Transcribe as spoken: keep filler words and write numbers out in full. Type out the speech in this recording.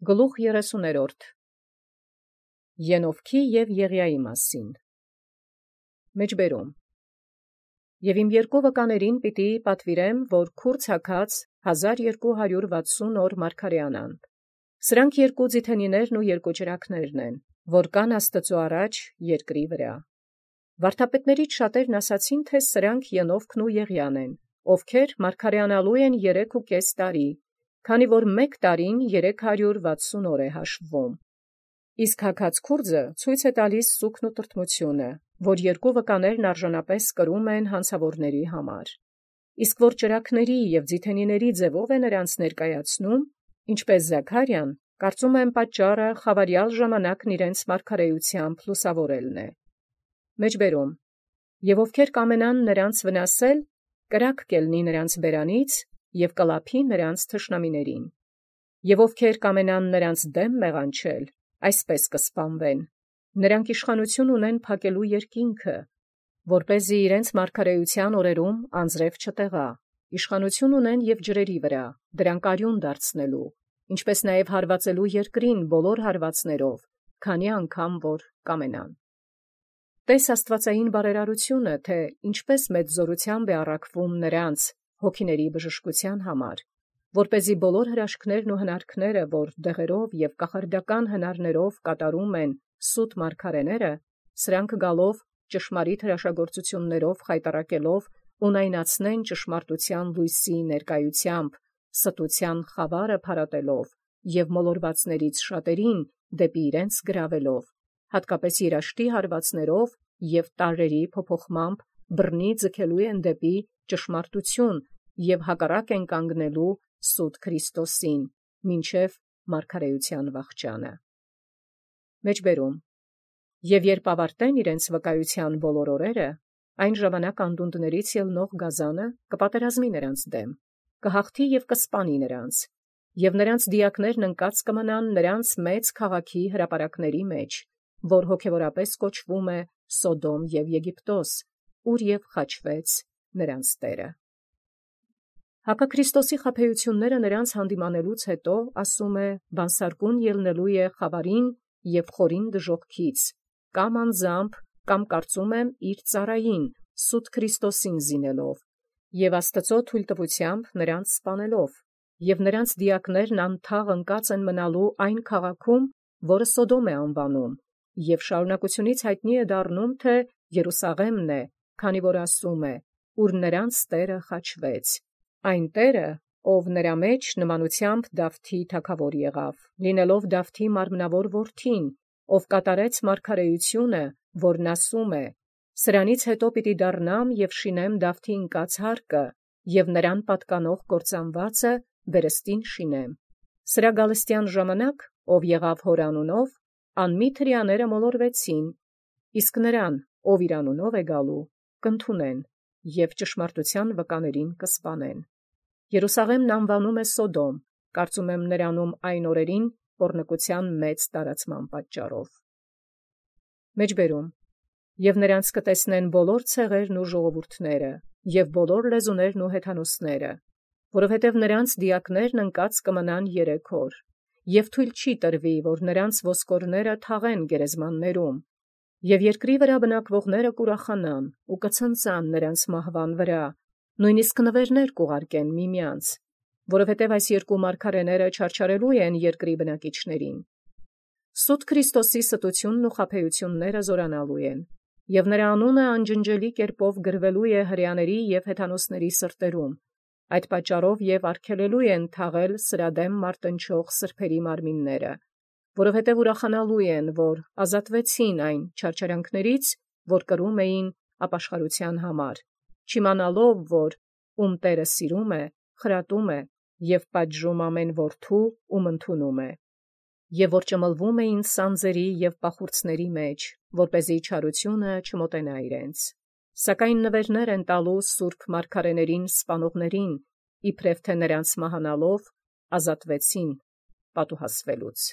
Գլուխ երեսուներորդ Ենովքի և Եղիայի մասին Մեջբերում Եւ իմ երկու վկաներին պիտի պատվիրեմ, որ քուր ցակած հազար երկու հարյուր վաթսուն օր մարգարեանան։ Սրանք երկու ձիթենիներն ու երկու ճրագներն են, որ կան Աստուծոյ առաջ երկրի վրա։ Վարդապետներից շատերն ասացին, թե սրանք Ենովքն ու Եղիան են, ովքեր մարգարեանալու են երեք ու կես տարի, քանի որ մեկ տարին երեք հարյուր վաթսուն օր է հաշվվում։ Իսկ հագած քուրձը ցույց է տալիս սուգն ու տրտմությունը, որ երկու վկաներն արժանապես կրում են հանցավորների համար։ Իսկ որ ճրագների և ձիթենիների ձևով է նրանց ներկայացնում, ինչպես Զաքարիան, կարծում եմ պատճառը խավարյալ ժամանակն իրենց մարգարեությամբ լուսավորելն է։ Մեջբերում Եվ ովքեր կամենան նրանց վնասել, կրակ կելնի նրանց բերանից և կլափի նրանց թշնամիներին։ Եւ ովքեր կամենան նրանց դեմ մեղանչել, այսպես կսպանվեն. նրանք իշխանություն ունեն փակելու երկինքը, որպեսզի իրենց մարգարեության օրերում անձրև չտեղա, իշխանություն ունեն եւ ջրերի վրա, դրանք արյուն դարձնելու, ինչպես նաեւ հարվածելու երկրին բոլոր հարվածներով, քանի անգամ որ կամենան։ Տես աստվածային բարերարությունը, թե ինչպես մեծ զորությամբ է առաքվում նրանց հոգիների բժշկության համար, որպեսզի բոլոր հրաշքներն ու հնարքները, որ դեղերով եւ կախարդական հնարներով կատարում են սուտ մարգարեները, սրանք գալով ճշմարիտ հրաշագործություններով խայտառակելով ունայնացնեն ճշմարտության լույսի ներկայությամբ, ստության խավարը փարատելով եւ մոլորվածներից շատերին դեպի իրենց գրավելով, հատկապես երաշտի հարվածներով եւ տարրերի փոփոխմամբ բռնի ձգելու են դեպի ճշմարտություն եւ հակառակ են կանգնելու սուտ Քրիստոսին, մինչև մարգարեության վախճանը։ Մեջբերում Եւ երբ ավարտեն իրենց վկայության բոլոր օրերը, այն ժամանակ անդունդներից ելնող գազանը կպատերազմի նրանց դեմ, կհաղթի եւ կսպանի նրանց, եւ նրանց դիակներն ընկած կմնան նրանց մեծ քաղաքի հրապարակների մեջ, որ հոգևորապես կոչվում է Սոդոմ եւ Եգիպտոս, ուր եւ խաչվեց նրանց Տերը։ Հակաքրիստոսի խաբեությունները նրանց հանդիմանելուց հետո, ասում է, բանսարկուն ելնելու է խավարին եւ խորին դժոխքից, կամ անձամբ, կամ կարծում եմ իր ծառային, սուտ Քրիստոսին զինելով, եւ Աստծո թույլտվությամբ նրանց սպանելով, եւ նրանց դիակներն անթաղ ընկած են մնալու այն քաղաքում, որը Սոդոմ է անվանում, եւ շարունակությունից հայտնի է դառնում, թե Երուսաղեմն է, քանի որ ասում է, ուր նրանց Տերը խաչվեց, այն Տերը, ով նրա մեջ նմանությամբ Դավթի թագավոր եղավ, լինելով Դավթի մարմնավոր որդին, ով կատարեց մարգարեությունը, որն ասում է. «Սրանից հետո պիտի դառնամ եւ շինեմ Դավթի ընկած հարկը, եւ նրան պատկանող կործանվածը վերստին շինեմ»։ Սրա գալստյան ժամանակ, ով եղավ հոր անունով, անմիտ հրեաները մոլորվեցին, իսկ նրան, ով իր անունով է գալու, կընդունեն եւ ճշմարտության վկաներին կսպանեն։ Երուսաղեմն անվանում է Սոդոմ, կարծում եմ նրանում այն օրերին պոռնկության մեծ տարածման պատճառով։ Մեջբերում Եւ նրանց կտեսնեն բոլոր ցեղերն ու ժողովուրդները, եւ բոլոր լեզուներն ու հեթանոսները, որովհետև նրանց դիակներն ընկած կմնան երեք օր, եւ թույլ չի տրվի, որ նրանց ոսկորները թաղեն գերեզմաններում, եւ երկրի վրա բնակվողները կուրախանան ու կցնծան նրանց մահվան վրա, նույնիսկ նվերներ կուղարկեն միմյանց, որովհետև այս երկու մարգարեները չարչարելու են երկրի բնակիչներին։ Սուտ Քրիստոսի ստությունն ու խաբեությունները զորանալու են, եւ նրա անունը անջնջելի կերպով գրվելու է հրեաների եւ հեթանոսների սրտերում, այդ պատճառով եւ արգելելու են թաղել սրադեմ մարտնչող սրբերի մարմինները, որովհետև ուրախանալու են, որ ազատվեցին այն չարչարանքներից, որ կրում էին ապաշխարության համար, չիմանալով, որ ում Տերը սիրում է, խրատում է եւ պատժում ամեն որդու, ում ընդունում է, եւ որ ճմլվում էին սանձերի եւ պախուրցների մեջ, որպեսզի չարությունը չմոտենա իրենց։ Սակայն նվերներ են տալու սուրբ մարգարեներին սպանողներին, իբրև թե նրանց մահանալով ազատվեցին պատուհասվելուց։